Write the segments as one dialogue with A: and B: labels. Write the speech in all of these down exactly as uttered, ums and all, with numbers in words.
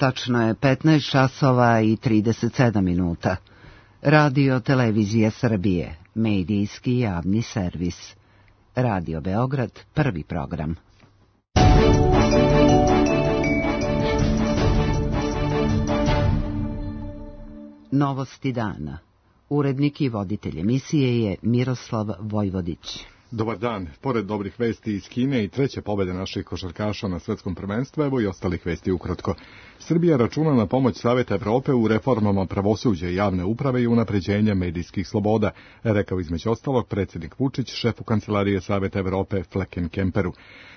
A: Tačno je petnaest časova i trideset sedam minuta. Radio Televizija Srbije, medijski javni servis. Radio Beograd, prvi program. Novosti dana. Urednik i voditelj emisije je Miroslav Vojvodić.
B: Dobar dan. Pored dobrih vesti iz Kine i treće pobjede naših košarkaša na svetskom prvenstvu, evo i ostalih vesti ukratko. Srbija računa na pomoć Saveta Evrope u reformama pravosuđa i javne uprave i unapređenja medijskih sloboda, rekao između ostalog predsjednik Vučić šefu Kancelarije Saveta Evrope Fleckenkemperu.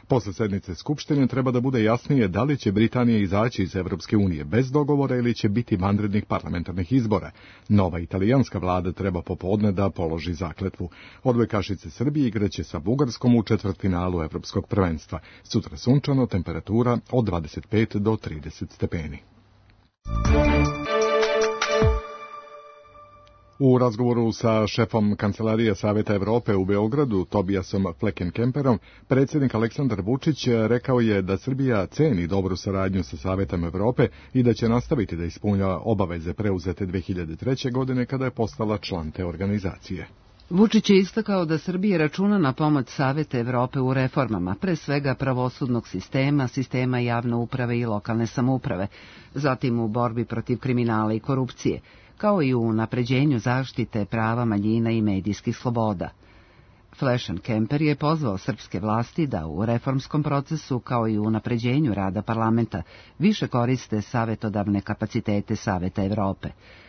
B: Posle sednice Skupštine treba da bude jasnije da li će Britanija izaći iz Evropske unije bez dogovora ili će biti vanrednih parlamentarnih izbora. Nova italijanska vlada treba popodne da položi zakletvu. Odbojkašice Srbije igraće sa Bugarskom u četvrtfinalu Evropskog prvenstva. Sutra sunčano, temperatura od dvadeset pet do trideset stepeni. U razgovoru sa šefom Kancelarije Saveta Evrope u Beogradu, Tobijasom Fleckenkemperom, predsjednik Aleksandar Vučić rekao je da Srbija ceni dobru saradnju sa Savetom Evrope i da će nastaviti da ispunjava obaveze preuzete dve hiljade treće. godine kada je postala član te organizacije.
A: Vučić je istakao da Srbija računa na pomoć Saveta Evrope u reformama, pre svega pravosudnog sistema, sistema javne uprave i lokalne samouprave, zatim u borbi protiv kriminala i korupcije, kao i u unapređenju zaštite prava manjina i medijskih sloboda. Fleckenkemper je pozvao srpske vlasti da u reformskom procesu, kao i u unapređenju rada parlamenta, više koriste savetodavne kapacitete Saveta Evrope.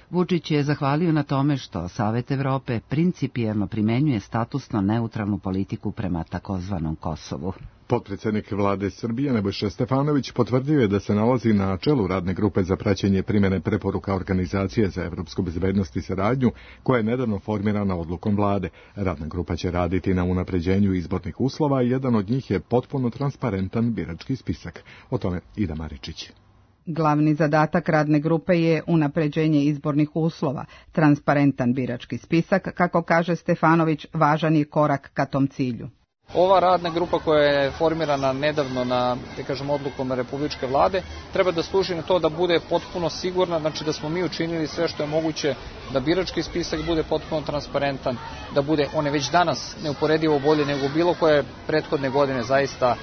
A: Vučić je zahvalio na tome što Savet Evrope principijelno primenjuje statusno neutralnu politiku prema takozvanom Kosovu.
B: Potpredsjednik vlade Srbije Nebojša Stefanović potvrdio je da se nalazi na čelu radne grupe za praćenje primjene preporuka Organizacije za evropsku bezbednost i saradnju, koja je nedavno formirana odlukom vlade. Radna grupa će raditi na unapređenju izbornih uslova i jedan od njih je potpuno transparentan birački spisak. O tome Ida Maričić.
C: Glavni zadatak radne grupe je unapređenje izbornih uslova, transparentan birački spisak, kako kaže Stefanović, važan je korak ka tom cilju.
D: Ova radna grupa koja je formirana nedavno na, da kažem, odlukom Republičke vlade, treba da služi na to da bude potpuno sigurna, znači da smo mi učinili sve što je moguće da birački spisak bude potpuno transparentan, da bude, on je već danas neuporedivo bolje nego bilo koje prethodne godine, zaista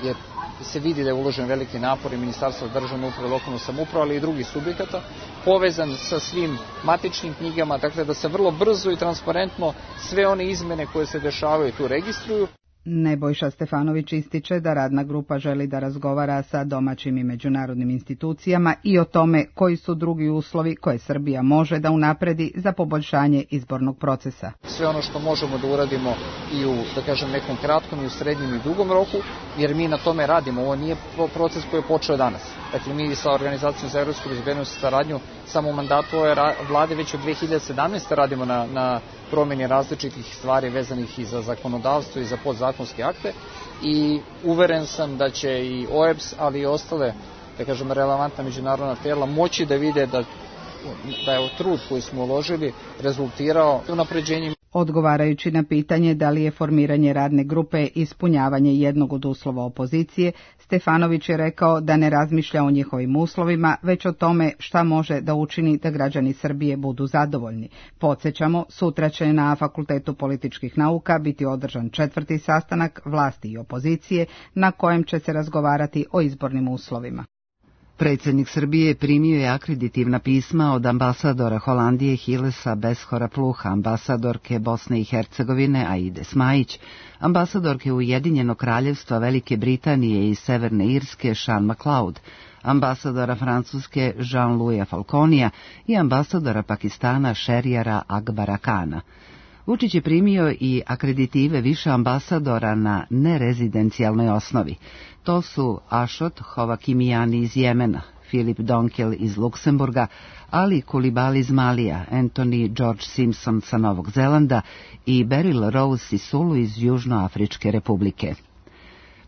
D: je se vidi da je uložen veliki napor i Ministarstva državne uprave, lokalne samouprave, ali i drugih subjekata, povezan sa svim matičnim knjigama, dakle da se vrlo brzo i transparentno sve one izmene koje se dešavaju tu registruju.
C: Nebojša Stefanović ističe da radna grupa želi da razgovara sa domaćim i međunarodnim institucijama i o tome koji su drugi uslovi koje Srbija može da unapredi za poboljšanje izbornog procesa.
D: Sve ono što možemo da uradimo i u, da kažem, nekom kratkom i u srednjem i dugom roku, jer mi na tome radimo. Ovo nije proces koji je počeo danas. Dakle, mi sa Organizacijom za evropsku bezbednost i saradnju samo u mandatu ove vlade već od dve hiljade sedamnaeste. radimo na, na promjeni različitih stvari vezanih i za zakonodavstvo i za podzakonske akte i uveren sam da će i O E B S, ali i ostale, da kažem, relevantna međunarodna tijela moći da vide da, da je trud koji smo uložili rezultirao unapređenjem.
C: Odgovarajući na pitanje da li je formiranje radne grupe ispunjavanje jednog od uslova opozicije, Stefanović je rekao da ne razmišlja o njihovim uslovima, već o tome šta može da učini da građani Srbije budu zadovoljni. Podsjećamo, sutra će na Fakultetu političkih nauka biti održan četvrti sastanak vlasti i opozicije, na kojem će se razgovarati o izbornim uslovima.
A: Predsjednik Srbije primio je akreditivna pisma od ambasadora Holandije Hilesa Beshora Pluha, ambasadorke Bosne i Hercegovine Aide Smajić, ambasadorke Ujedinjenog kraljevstva Velike Britanije i Severne Irske Sean MacLeod, ambasadora Francuske Jean-Louisa Falconija i ambasadora Pakistana Šerijara Akbara Kana. Vučić je primio i akreditive više ambasadora na nerezidencijalnoj osnovi. To su Ashot Hovakimiani iz Jemena, Filip Donkel iz Luksemburga, Ali Kulibali iz Malija, Anthony George Simpson sa Novog Zelanda i Beryl Rose Sisulu iz Južnoafričke republike.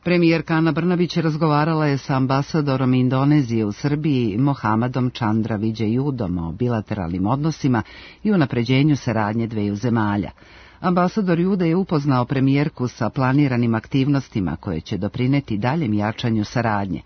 A: Premijerka Ana Brnabić razgovarala je sa ambasadorom Indonezije u Srbiji Mohamedom Chandra Viđejudom o bilateralnim odnosima i unapređenju saradnje dveju zemalja. Ambasador Juda je upoznao premijerku sa planiranim aktivnostima koje će doprineti daljem jačanju saradnje.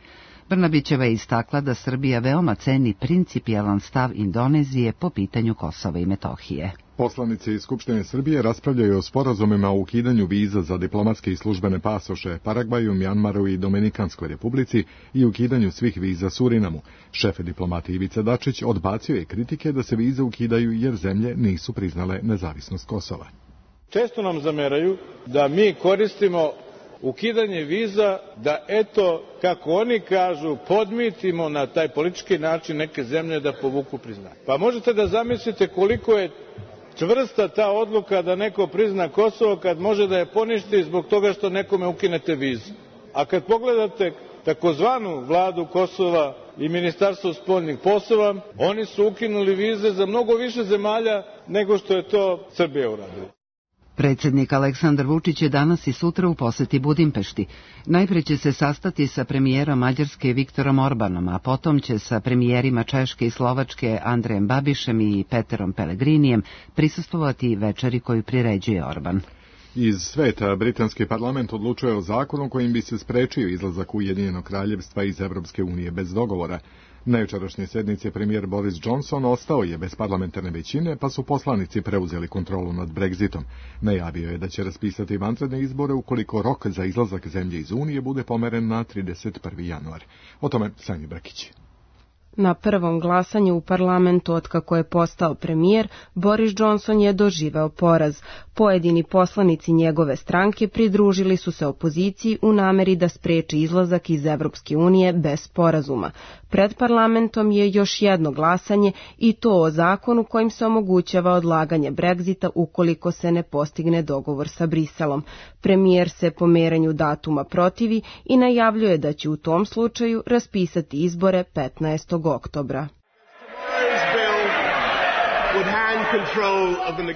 A: Brnabićeva je istakla da Srbija veoma ceni principijelan stav Indonezije po pitanju Kosova i Metohije.
B: Poslanici iz Skupštine Srbije raspravljaju o sporazumima o ukidanju viza za diplomatske i službene pasoše Paragvaju, Mjanmaru i Dominikanskoj republici i ukidanju svih viza Surinamu. Šef diplomati Ivica Dačić odbacio je kritike da se vize ukidaju jer zemlje nisu priznale nezavisnost Kosova.
E: Često nam zameraju da mi koristimo ukidanje viza da, eto, kako oni kažu, podmitimo na taj politički način neke zemlje da povuku priznanje. Pa možete da zamislite koliko je čvrsta ta odluka da neko prizna Kosovo kad može da je poništi zbog toga što nekome ukinete vizu. A kad pogledate takozvanu vladu Kosova i Ministarstvo spoljnih poslova, oni su ukinuli vize za mnogo više zemalja nego što je to Srbija uradila.
A: Predsjednik Aleksandar Vučić je danas i sutra u poseti Budimpešti. Najpre će se sastati sa premijerom Mađarske Viktorom Orbanom, a potom će sa premijerima Češke i Slovačke Andrejem Babišem i Peterom Pellegrinijem prisustvovati večeri koju priređuje Orban.
B: Iz sveta britanski parlament odlučuje o zakonu kojim bi se sprečio izlazak Ujedinjenog kraljevstva iz Evropske unije bez dogovora. Na jučerašnjoj sednici premijer Boris Johnson ostao je bez parlamentarne većine, pa su poslanici preuzeli kontrolu nad Brexitom. Najavio je da će raspisati vanredne izbore ukoliko rok za izlazak zemlje iz Unije bude pomeren na trideset prvi januar. O tome Sanja Brkić.
F: Na prvom glasanju u parlamentu otkako je postao premijer, Boris Johnson je doživeo poraz. Pojedini poslanici njegove stranke pridružili su se opoziciji u nameri da spreči izlazak iz Evropske unije bez sporazuma. Pred parlamentom je još jedno glasanje i to o zakonu kojim se omogućava odlaganje Brexita ukoliko se ne postigne dogovor sa Briselom. Premijer se pomeranju datuma protivi i najavljuje da će u tom slučaju raspisati izbore petnaestog oktobra.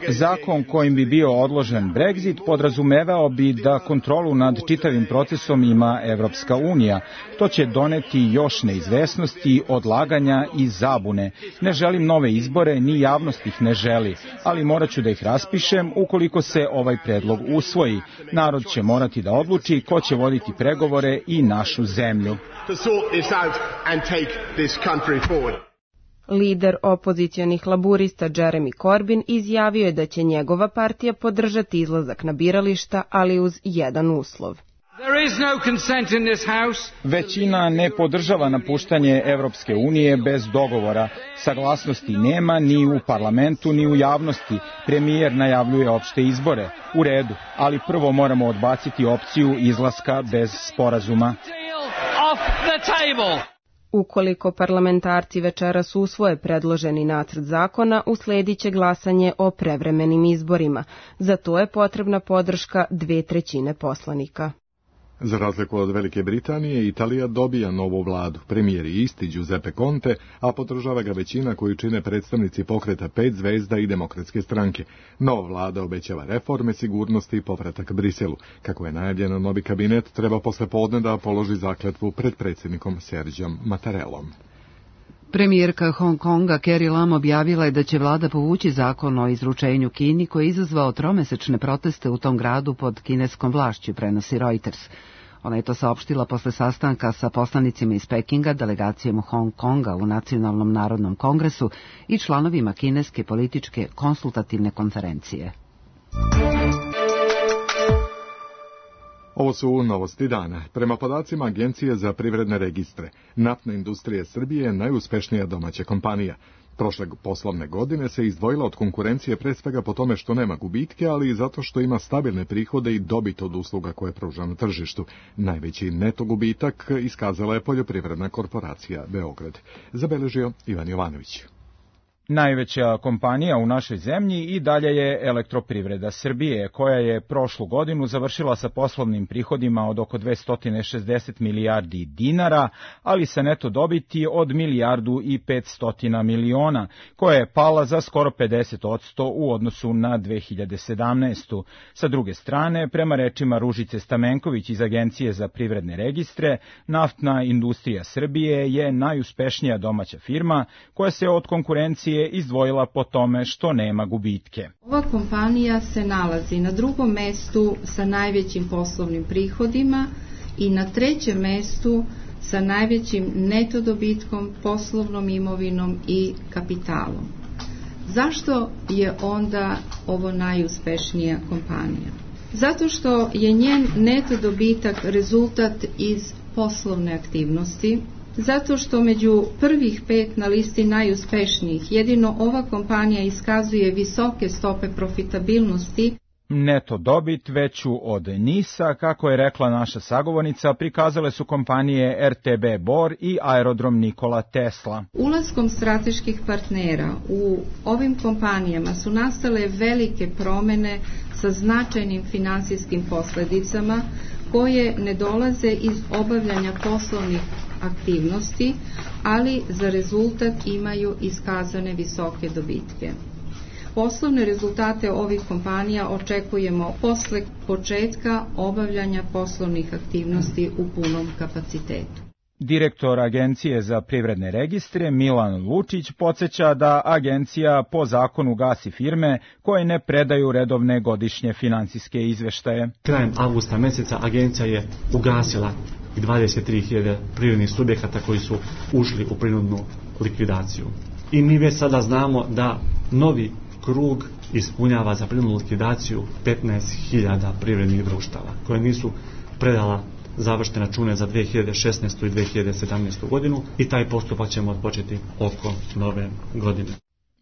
G: Zakon kojim bi bio odložen Brexit podrazumevao bi da kontrolu nad čitavim procesom ima Evropska unija. To će doneti još neizvesnosti, odlaganja i zabune. Ne želim nove izbore, ni javnost ih ne želi, ali morat ću da ih raspišem ukoliko se ovaj predlog usvoji. Narod će morati da odluči ko će voditi pregovore i našu zemlju.
F: Lider opozicionih laburista Jeremy Corbyn izjavio je da će njegova partija podržati izlazak na birališta, ali uz jedan uslov.
G: Većina ne podržava napuštanje Evropske unije bez dogovora. Saglasnosti nema ni u parlamentu ni u javnosti. Premijer najavljuje opšte izbore. U redu, ali prvo moramo odbaciti opciju izlaska bez sporazuma.
F: Ukoliko parlamentarci večeras usvoje predloženi nacrt zakona, usledit će glasanje o prevremenim izborima. Za to je potrebna podrška dve trećine poslanika.
B: Za razliku od Velike Britanije, Italija dobija novu vladu. Premijer je isti Giuseppe Conte, a podržava ga većina koju čine predstavnici pokreta Pet zvezda i Demokratske stranke. Nova vlada obećava reforme, sigurnosti i povratak Briselu. Kako je najavljeno, novi kabinet treba posle podne da položi zakletvu pred predsjednikom Serđom Mattarellom.
A: Premijerka Hong Konga Carrie Lam objavila je da će vlada povući zakon o izručenju Kini koji je izazvao tromesečne proteste u tom gradu pod kineskom vlašću, prenosi Reuters. Ona je to saopštila posle sastanka sa poslanicima iz Pekinga, delegacijom Hong Konga u Nacionalnom narodnom kongresu i članovima kineske političke konsultativne konferencije.
B: Ovo su novosti dana. Prema podacima Agencije za privredne registre, naftna industrija Srbije je najuspešnija domaća kompanija. Prošle poslovne godine se izdvojila od konkurencije pre svega po tome što nema gubitke, ali i zato što ima stabilne prihode i dobit od usluga koje pruža na tržištu. Najveći neto gubitak iskazala je Poljoprivredna korporacija Beograd. Zabeležio Ivan Jovanović.
G: Najveća kompanija u našoj zemlji i dalje je Elektroprivreda Srbije, koja je prošlu godinu završila sa poslovnim prihodima od oko dvesta šezdeset milijardi dinara, ali sa neto dobiti od milijardu i petsto miliona, koja je pala za skoro pedeset posto u odnosu na dve hiljade sedamnaestu. Sa druge strane, prema rečima Ružice Stamenković iz Agencije za privredne registre, naftna industrija Srbije je najuspešnija domaća firma koja se od konkurencije je izdvojila po tome što nema gubitke.
H: Ova kompanija se nalazi na drugom mestu sa najvećim poslovnim prihodima i na trećem mestu sa najvećim neto dobitkom, poslovnom imovinom i kapitalom. Zašto je onda ovo najuspešnija kompanija? Zato što je njen neto dobitak rezultat iz poslovne aktivnosti, zato što među prvih pet na listi najuspešnijih jedino ova kompanija iskazuje visoke stope profitabilnosti.
G: Neto dobit veću od NIS-a, kako je rekla naša sagovornica, prikazale su kompanije R T B Bor i Aerodrom Nikola Tesla.
H: Ulaskom strateških partnera u ovim kompanijama su nastale velike promene sa značajnim finansijskim posledicama koje ne dolaze iz obavljanja poslovnih aktivnosti, ali za rezultat imaju iskazane visoke dobitke. Poslovne rezultate ovih kompanija očekujemo posle početka obavljanja poslovnih aktivnosti u punom kapacitetu.
G: Direktor Agencije za privredne registre Milan Lučić podsjeća da agencija po zakonu gasi firme koje ne predaju redovne godišnje finansijske izveštaje.
I: Krajem avgusta meseca agencija je ugasila dvadeset tri hiljade privrednih subjekata koji su ušli u prinudnu likvidaciju. I mi već sada znamo da novi krug ispunjava za prinudnu likvidaciju petnaest hiljada privrednih društava koje nisu predala završene račune za dve hiljade šesnaestu i dve hiljade sedamnaestu godinu i taj postupak ćemo odpočeti oko nove godine.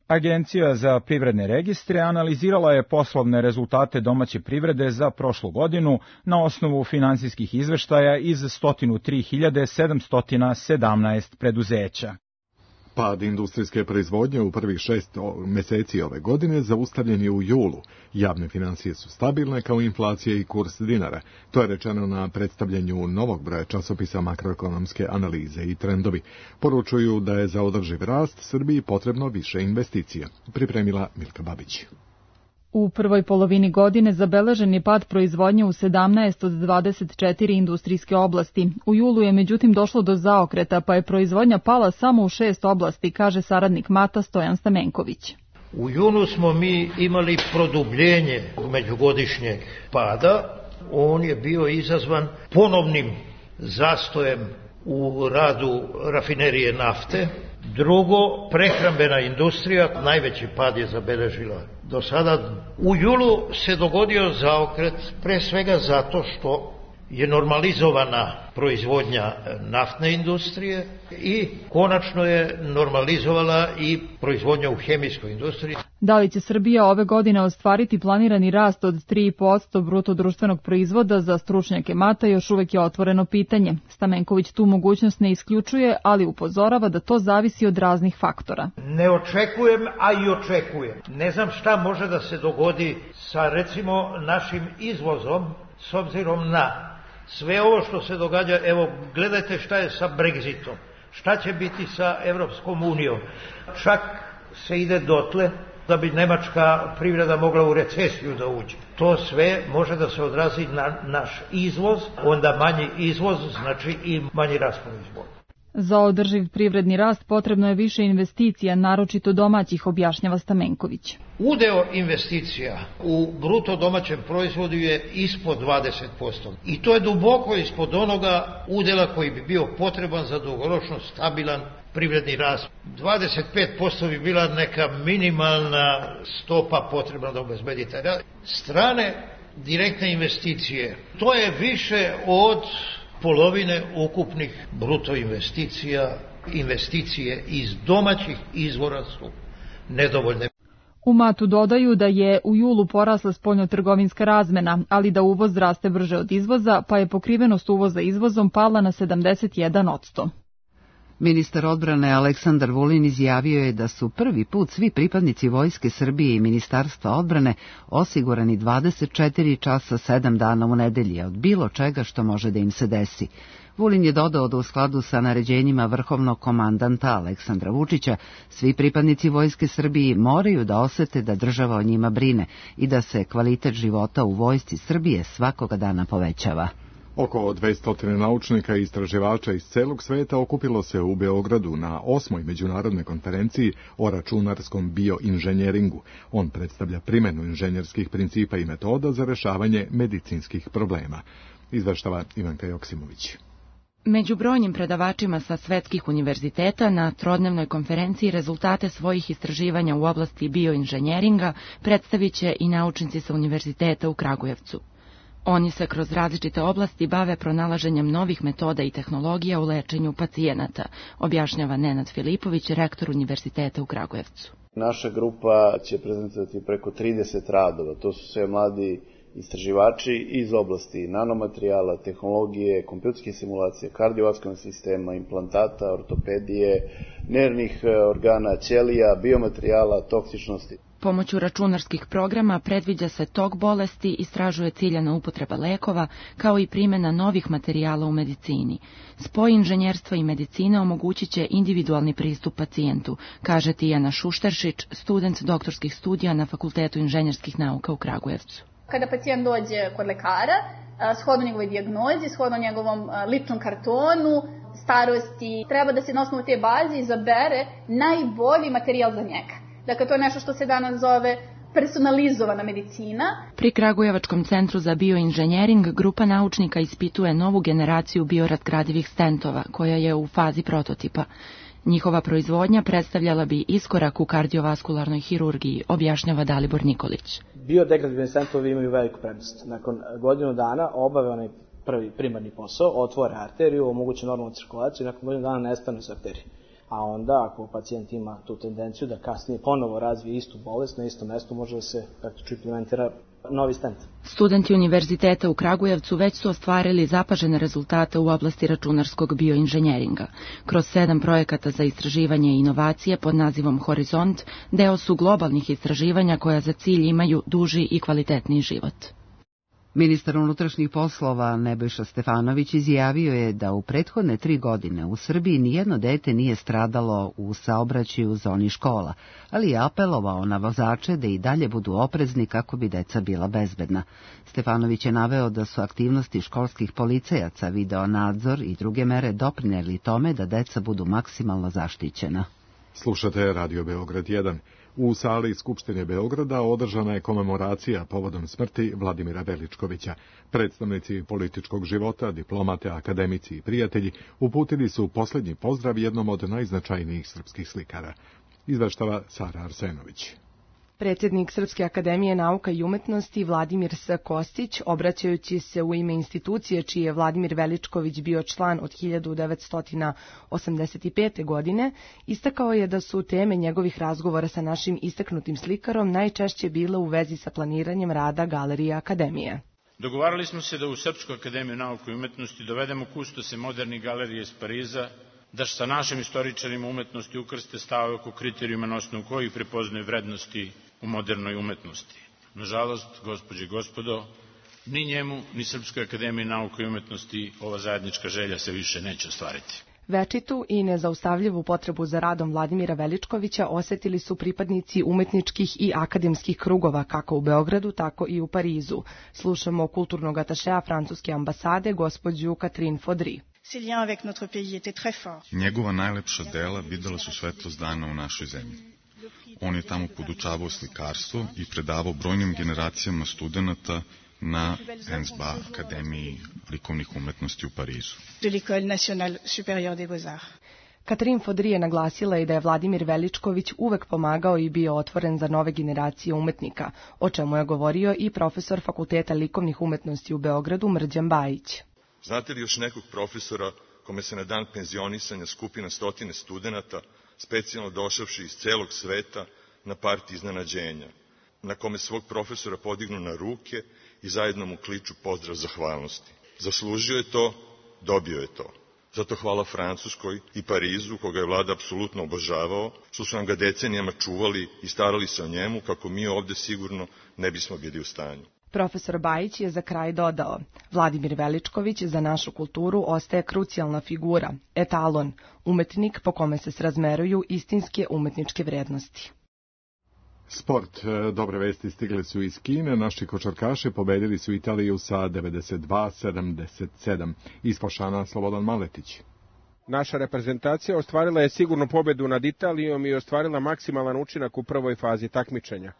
G: Agencija za privredne registre analizirala je poslovne rezultate domaće privrede za prošlu godinu na osnovu finansijskih izveštaja iz sto tri hiljade sedamsto sedamnaest preduzeća.
B: Pad industrijske proizvodnje u prvih šest meseci ove godine zaustavljen je u julu. Javne financije su stabilne kao inflacija i kurs dinara. To je rečeno na predstavljanju novog broja časopisa makroekonomske analize i trendovi. Poručuju da je za održiv rast Srbiji potrebno više investicija. Pripremila Milka Babić.
J: U prvoj polovini godine zabeležen je pad proizvodnje u sedamnaest od dvadeset četiri industrijske oblasti. U julu je međutim došlo do zaokreta, pa je proizvodnja pala samo u šest oblasti, kaže saradnik Mata Stojan Stamenković.
K: U junu smo mi imali produbljenje međugodišnjeg pada. On je bio izazvan ponovnim zastojem u radu rafinerije nafte. Drugo, prehrambena industrija, najveći pad je zabeležila do sada. U julu se dogodio zaokret pre svega zato što je normalizovana proizvodnja naftne industrije i konačno je normalizovala i proizvodnja u hemijskoj industriji.
J: Da li će Srbija ove godine ostvariti planirani rast od tri i po posto bruto društvenog proizvoda, za stručnjake Mata još uvek je otvoreno pitanje. Stamenković tu mogućnost ne isključuje, ali upozorava da to zavisi od raznih faktora.
K: Ne očekujem, a i očekujem. Ne znam šta može da se dogodi sa recimo našim izvozom s obzirom na sve ovo što se događa. Evo, gledajte šta je sa Brexitom, šta će biti sa Evropskom unijom. Čak se ide dotle da bi nemačka privreda mogla u recesiju da uđe. To sve može da se odrazi na naš izvoz, onda manji izvoz znači i manji rast proizvoda.
J: Za održiv privredni rast potrebno je više investicija, naročito domaćih, objašnjava Stamenković.
K: Udeo investicija u bruto domaćem proizvodu je ispod dvadeset posto. I to je duboko ispod onoga udela koji bi bio potreban za dugoročno stabilan privredni rast. dvadeset pet posto bi bila neka minimalna stopa potrebna da obezbedi taj rast. Strane direktne investicije, to je više od polovine ukupnih bruto investicija. Investicije iz domaćih izvora su nedovoljne.
J: U Matu dodaju da je u julu porasla spoljnotrgovinska razmena, ali da uvoz raste brže od izvoza, pa je pokrivenost uvoza izvozom pala na sedamdeset jedan posto.
A: Ministar odbrane Aleksandar Vulin izjavio je da su prvi put svi pripadnici Vojske Srbije i Ministarstva odbrane osigurani dvadeset četiri časa sedam dana u nedelji od bilo čega što može da im se desi. Vulin je dodao da u skladu sa naređenjima vrhovnog komandanta Aleksandra Vučića svi pripadnici Vojske Srbije moraju da osete da država o njima brine i da se kvalitet života u Vojsci Srbije svakoga dana povećava.
B: Oko dvesta naučnika i istraživača iz celog sveta okupilo se u Beogradu na osmoj međunarodnoj konferenciji o računarskom bioinženjeringu. On predstavlja primenu inženjerskih principa i metoda za rešavanje medicinskih problema. Izveštava Ivanka Joksimović.
L: Među brojnim predavačima sa svetskih univerziteta na trodnevnoj konferenciji rezultate svojih istraživanja u oblasti bioinženjeringa predstavit će i naučnici sa Univerziteta u Kragujevcu. Oni se kroz različite oblasti bave pronalaženjem novih metoda i tehnologija u lečenju pacijenata, objašnjava Nenad Filipović, rektor Univerziteta u Kragujevcu.
M: Naša grupa će prezentovati preko trideset radova, to su sve mladi istraživači iz oblasti nanomaterijala, tehnologije, kompjuterske simulacije, kardiovaskularnog sistema, implantata, ortopedije, nervnih organa, ćelija, biomaterijala, toksičnosti.
L: Pomoću računarskih programa predviđa se tok bolesti, istražuje ciljana upotreba lekova, kao i primjena novih materijala u medicini. Spoj inženjerstva i medicine omogućit će individualni pristup pacijentu, kaže Tijana Šušteršić, student doktorskih studija na Fakultetu inženjerskih nauka u Kragujevcu.
N: Kada pacijent dođe kod lekara, shodno njegovoj dijagnozi, shodno njegovom ličnom kartonu, starosti, treba da se na osnovu te baze izabere najbolji materijal za njega. Dakle, to je nešto što se danas zove personalizovana medicina.
L: Pri Kragujevačkom centru za bioinženjering grupa naučnika ispituje novu generaciju biorazgradivih stentova, koja je u fazi prototipa. Njihova proizvodnja predstavljala bi iskorak u kardiovaskularnoj hirurgiji, objašnjava Dalibor Nikolić.
O: Biodegradibilni stentovi imaju veliku prednost. Nakon godinu dana obave onaj prvi primarni posao, otvore arteriju, omoguće normalnu cirkulaciju i nakon godinu dana nestane sa arterije. A onda, ako pacijent ima tu tendenciju da kasnije ponovo razvije istu bolest, na istom mestu može da se praktično implementira novi stent.
L: Studenti Univerziteta u Kragujevcu već su ostvarili zapažene rezultate u oblasti računarskog bioinženjeringa. Kroz sedam projekata za istraživanje i inovacije pod nazivom Horizont deo su globalnih istraživanja koja za cilj imaju duži i kvalitetniji život.
A: Ministar unutrašnjih poslova Nebojša Stefanović izjavio je da u prethodne tri godine u Srbiji nijedno dete nije stradalo u saobraćaju u zoni škola, ali je apelovao na vozače da i dalje budu oprezni kako bi deca bila bezbedna. Stefanović je naveo da su aktivnosti školskih policajaca, video nadzor i druge mere doprinijeli tome da deca budu maksimalno zaštićena.
B: Slušate Radio Beograd jedan. U sali Skupštine Beograda održana je komemoracija povodom smrti Vladimira Veličkovića. Predstavnici političkog života, diplomate, akademici i prijatelji uputili su posljednji pozdrav jednom od najznačajnijih srpskih slikara. Izveštava Sara Arsenović.
F: Predsjednik Srpske akademije nauka i umetnosti Vladimir S. Kostić, obraćajući se u ime institucije čiji je Vladimir Veličković bio član od hiljadu devetsto osamdeset pete. godine, istakao je da su teme njegovih razgovora sa našim istaknutim slikarom najčešće bile u vezi sa planiranjem rada Galerije Akademije.
P: Dogovarali smo se da u Srpsku akademiju nauka i umetnosti dovedemo kustose modernih galerije iz Pariza, da sa našim istoričarima umetnosti ukrste stave oko kriterijuma na osnovu kojih prepoznaju vrednosti u modernoj umetnosti. Nažalost, gospođe i gospodo, ni njemu, ni Srpskoj akademiji nauka i umetnosti ova zajednička želja se više neće ostvariti.
F: Večitu i nezaustavljivu potrebu za radom Vladimira Veličkovića osetili su pripadnici umetničkih i akademskih krugova kako u Beogradu, tako i u Parizu. Slušamo kulturnog atašea francuske ambasade, gospođu Catherine Fodry.
Q: Njegova najlepša dela videla su svetlost dana u našoj zemlji. On je tamo podučavao slikarstvo i predavao brojnim generacijama studenata na E N S B A Akademiji likovnih umetnosti u Parizu.
F: Catherine Fodry je naglasila i da je Vladimir Veličković uvek pomagao i bio otvoren za nove generacije umetnika, o čemu je govorio i profesor Fakulteta likovnih umetnosti u Beogradu Mrđan Bajić.
R: Znate li još nekog profesora kome se na dan penzionisanja skupi na stotine studenata, specijalno došavši iz celog sveta na parti iznenađenja, na kome svog profesora podignu na ruke i zajedno mu kliču pozdrav zahvalnosti? Zaslužio je to, dobio je to. Zato hvala Francuskoj i Parizu, koga je vlada apsolutno obožavao, što su nam ga decenijama čuvali i starali se o njemu, kako mi ovde sigurno ne bismo bili u stanju.
F: Profesor Bajić je za kraj dodao: Vladimir Veličković za našu kulturu ostaje krucijalna figura, etalon, umetnik po kome se srazmeruju istinske umetničke vrednosti.
B: Sport. Dobre vesti stigle su iz Kine. Naši košarkaši pobedili su Italiju sa devedeset dva sedamdeset sedam. Ispošana Slobodan Maletić.
S: Naša reprezentacija ostvarila je sigurnu pobedu nad Italijom i ostvarila maksimalan učinak u prvoj fazi takmičenja.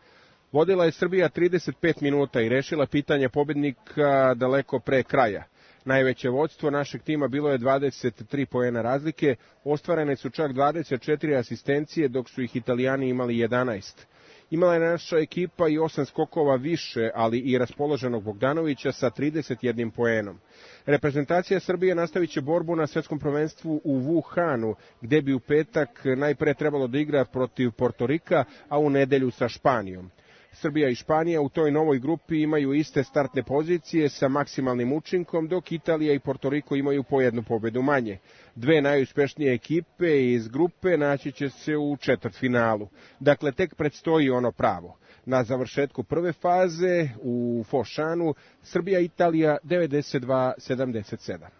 S: Vodila je Srbija trideset pet minuta i rešila pitanje pobednika daleko pre kraja. Najveće vodstvo našeg tima bilo je dvadeset tri poena razlike, ostvarene su čak dvadeset četiri asistencije, dok su ih Italijani imali jedanaest. Imala je naša ekipa i osam skokova više, ali i raspoloženog Bogdanovića sa trideset jedan poenom. Reprezentacija Srbije nastavit će borbu na svetskom prvenstvu u Wuhanu, gde bi u petak najpre trebalo da igra protiv Portorika, a u nedelju sa Španijom. Srbija i Španija u toj novoj grupi imaju iste startne pozicije sa maksimalnim učinkom, dok Italija i Portoriko imaju po jednu pobedu manje. Dve najuspešnije ekipe iz grupe naći će se u četvrtfinalu. Dakle, tek predstoji ono pravo. Na završetku prve faze u Fošanu Srbija-Italija devedeset dva sedamdeset sedam.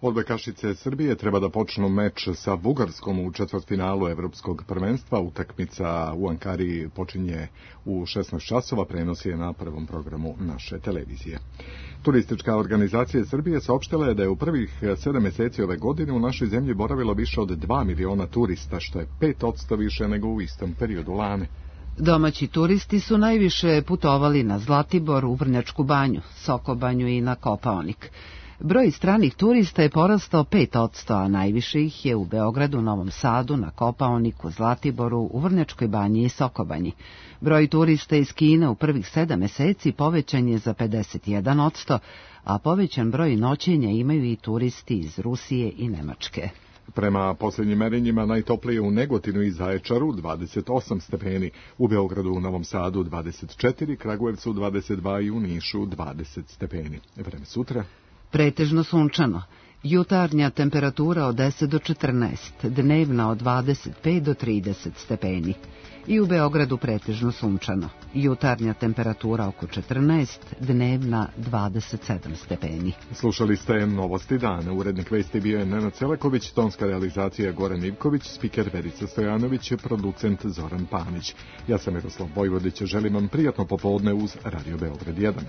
B: Odbojkašice Srbije treba da počnu meč sa Bugarskom u četvrtfinalu evropskog prvenstva. Utakmica u Ankari počinje u šesnaest časova, prenosi je na prvom programu naše televizije. Turistička organizacija Srbije saopštila je da je u prvih sedam meseci ove godine u našoj zemlji boravilo više od dva miliona turista, što je pet odsto više nego u istom periodu lane.
A: Domaći turisti su najviše putovali na Zlatibor, u Vrnjačku banju, Sokobanju i na Kopaonik. Broj stranih turista je porastao pet odsto, a najviše ih je u Beogradu, Novom Sadu, na Kopaoniku, Zlatiboru, u Vrnjačkoj banji i Sokobanji. Broj turista iz Kine u prvih sedam meseci povećan je za pedeset jedan odsto, a povećan broj noćenja imaju i turisti iz Rusije i Nemačke.
B: Prema posljednjim merenjima najtoplije u Negotinu i Zaječaru dvadeset osam stepeni, u Beogradu, u Novom Sadu dvadeset četiri, Kragujevcu dvadeset dva i u Nišu dvadeset stepeni. Vreme sutra?
A: Pretežno sunčano. Jutarnja temperatura od deset do četrnaest, dnevna od dvadeset pet do trideset stepeni. I u Beogradu pretežno sunčano. Jutarnja temperatura oko četrnaest, dnevna dvadeset sedam stepeni.
B: Slušali ste Novosti dana. Urednik vesti bio je Nenad Celaković, tonska realizacija Goran Ivković, spiker Verica Stojanović, producent Zoran Panić. Ja sam Miroslav Vojvodić, želim vam prijatno popodne uz Radio Beograd jedan.